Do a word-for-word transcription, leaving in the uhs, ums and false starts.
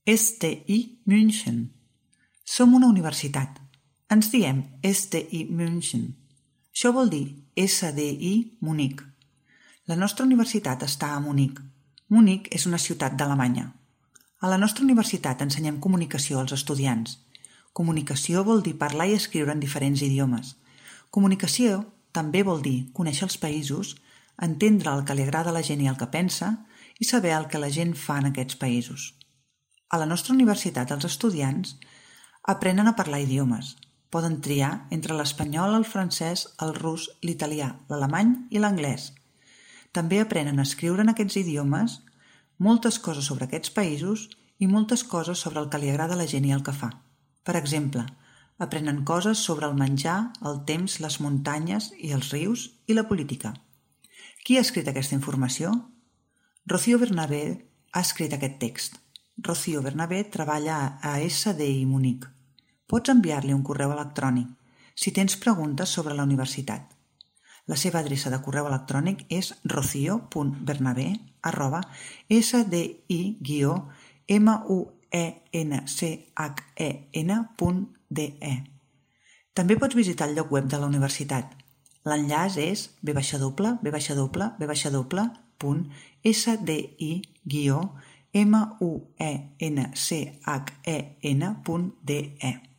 S T I München. Som una universitat. Ens diem S T I München. Això vol dir S D I Munic. La nostra universitat està a Munic. Munic és una ciutat d'Alemanya. A la nostra universitat ensenyem comunicació als estudiants. Comunicació vol dir parlar i escriure en diferents idiomes. Comunicació també vol dir conèixer els països, entendre el que li agrada a la gent i el que pensa i saber el que la gent fa en aquests països. A la nostra universitat els estudiants aprenen a parlar idiomes. Poden triar entre l'espanyol, el francès, el rus, l'italià, l'alemany i l'anglès. També aprenen a escriure en aquests idiomes moltes coses sobre aquests països i moltes coses sobre el que li agrada a la gent i el que fa. Per exemple, aprenen coses sobre el menjar, el temps, les muntanyes i els rius i la política. Qui ha escrit aquesta informació? Rocío Bernabé ha escrit aquest text. Rocío Bernabé treballa a S D I Munic. Pots enviar-li un correu electrònic si tens preguntes sobre la universitat. La seva adreça de correu electrònic és rocio punt bernabé arroba s d i guió munchen punt d e. També pots visitar el lloc web de la universitat. L'enllaç és www punt s d i guió munchen punt d e.